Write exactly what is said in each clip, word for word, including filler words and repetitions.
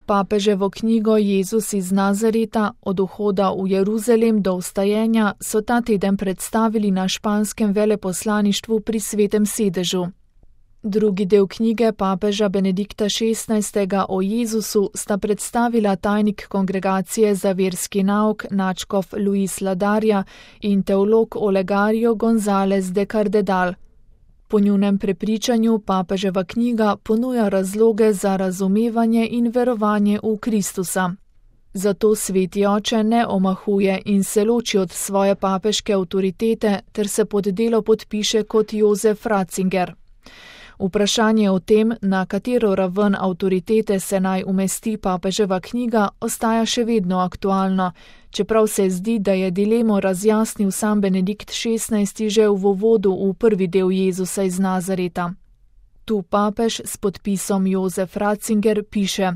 Papeževo knjigo Jezus iz Nazareta od vhoda v Jeruzalem do vstajenja so ta teden predstavili na španskem veleposlaništvu pri Svetem sedežu. Drugi del knjige papeža Benedikta šestnajstega o Jezusu sta predstavila tajnik Kongregacije za verski nauk nadškof Luis Ladarja in teolog Olegario González de Cardedal. Po njunem prepričanju papeževa knjiga ponuja razloge za razumevanje in verovanje v Kristusa. Zato sveti oče ne omahuje in se loči od svoje papeške avtoritete ter se pod delo podpiše kot Jozef Ratzinger. Vprašanje o tem, na katero raven avtoritete se naj umesti papeževa knjiga, ostaja še vedno aktualno, čeprav se zdi, da je dilemo razjasnil sam Benedikt šestnajsti že v uvodu v prvi del Jezusa iz Nazareta. Tu papež s podpisom Jozef Ratzinger piše: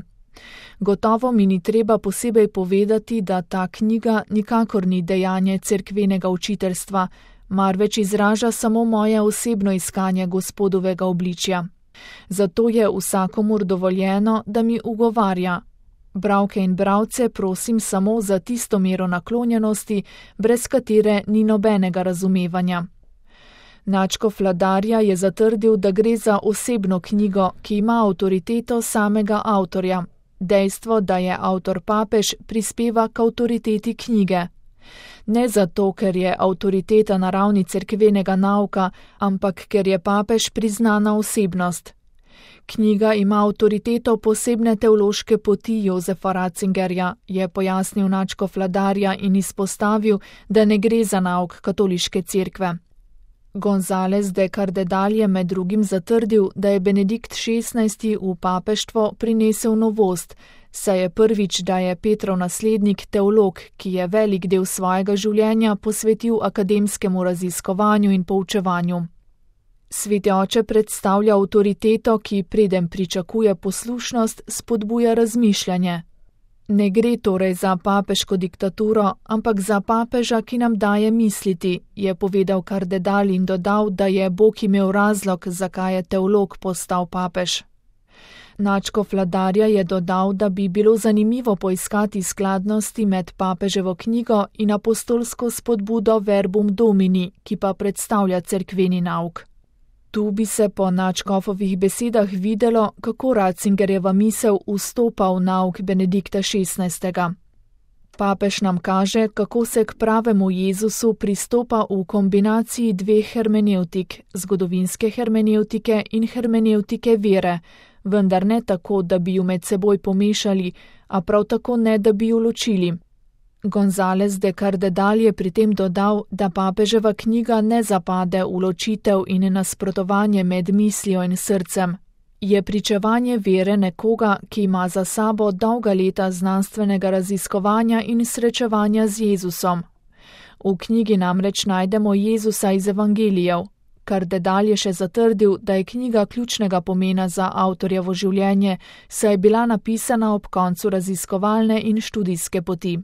Gotovo mi ni treba posebej povedati, da ta knjiga nikakor ni dejanje cerkvenega učiteljstva, marveč izraža samo moje osebno iskanje Gospodovega obličja. Zato je vsakomur dovoljeno, da mi ugovarja. Bralke in bralce prosim samo za tisto mero naklonjenosti, brez katere ni nobenega razumevanja. Nadškof Ladarja je zatrdil, da gre za osebno knjigo, ki ima avtoriteto samega avtorja. Dejstvo, da je avtor papež, prispeva k avtoriteti knjige. Ne zato, ker je avtoriteta na ravni cerkvenega nauka, ampak ker je papež priznana osebnost. Knjiga ima avtoriteto posebne teološke poti Jozefa Ratzingerja, je pojasnil nadškof Ladarja in izpostavil, da ne gre za nauk katoliške cerkve. González de Cardedal je med drugim zatrdil, da je Benedikt šestnajsti v papeštvo prinesel novost, saj je prvič, da je Petrov naslednik teolog, ki je velik del svojega življenja posvetil akademskemu raziskovanju in poučevanju. Sveti oče predstavlja avtoriteto, ki preden pričakuje poslušnost, spodbuja razmišljanje. Ne gre torej za papeško diktaturo, ampak za papeža, ki nam daje misliti, je povedal Cardedal in dodal, da je Bog imel razlog, zakaj je teolog postal papež. Nadškof Ladarja je dodal, da bi bilo zanimivo poiskati skladnosti med papeževo knjigo in apostolsko spodbudo Verbum Domini, ki pa predstavlja cerkveni nauk. Tu bi se po nadškofovih besedah videlo, kako Ratzingerjeva misel vstopa v nauk Benedikta šestnajstega. Papež nam kaže, kako se k pravemu Jezusu pristopa v kombinaciji dveh hermenevtik, zgodovinske hermenevtike in hermenevtike vere, vendar ne tako, da bi ju med seboj pomešali, a prav tako ne, da bi ju ločili. González de Cardedal je pri tem dodal, da papeževa knjiga ne zapade v ločitev in nasprotovanje med mislijo in srcem. Je pričevanje vere nekoga, ki ima za sabo dolga leta znanstvenega raziskovanja in srečevanja z Jezusom. V knjigi namreč najdemo Jezusa iz evangelijev. Cardedal je še zatrdil, da je knjiga ključnega pomena za avtorjevo življenje, saj je bila napisana ob koncu raziskovalne in študijske poti.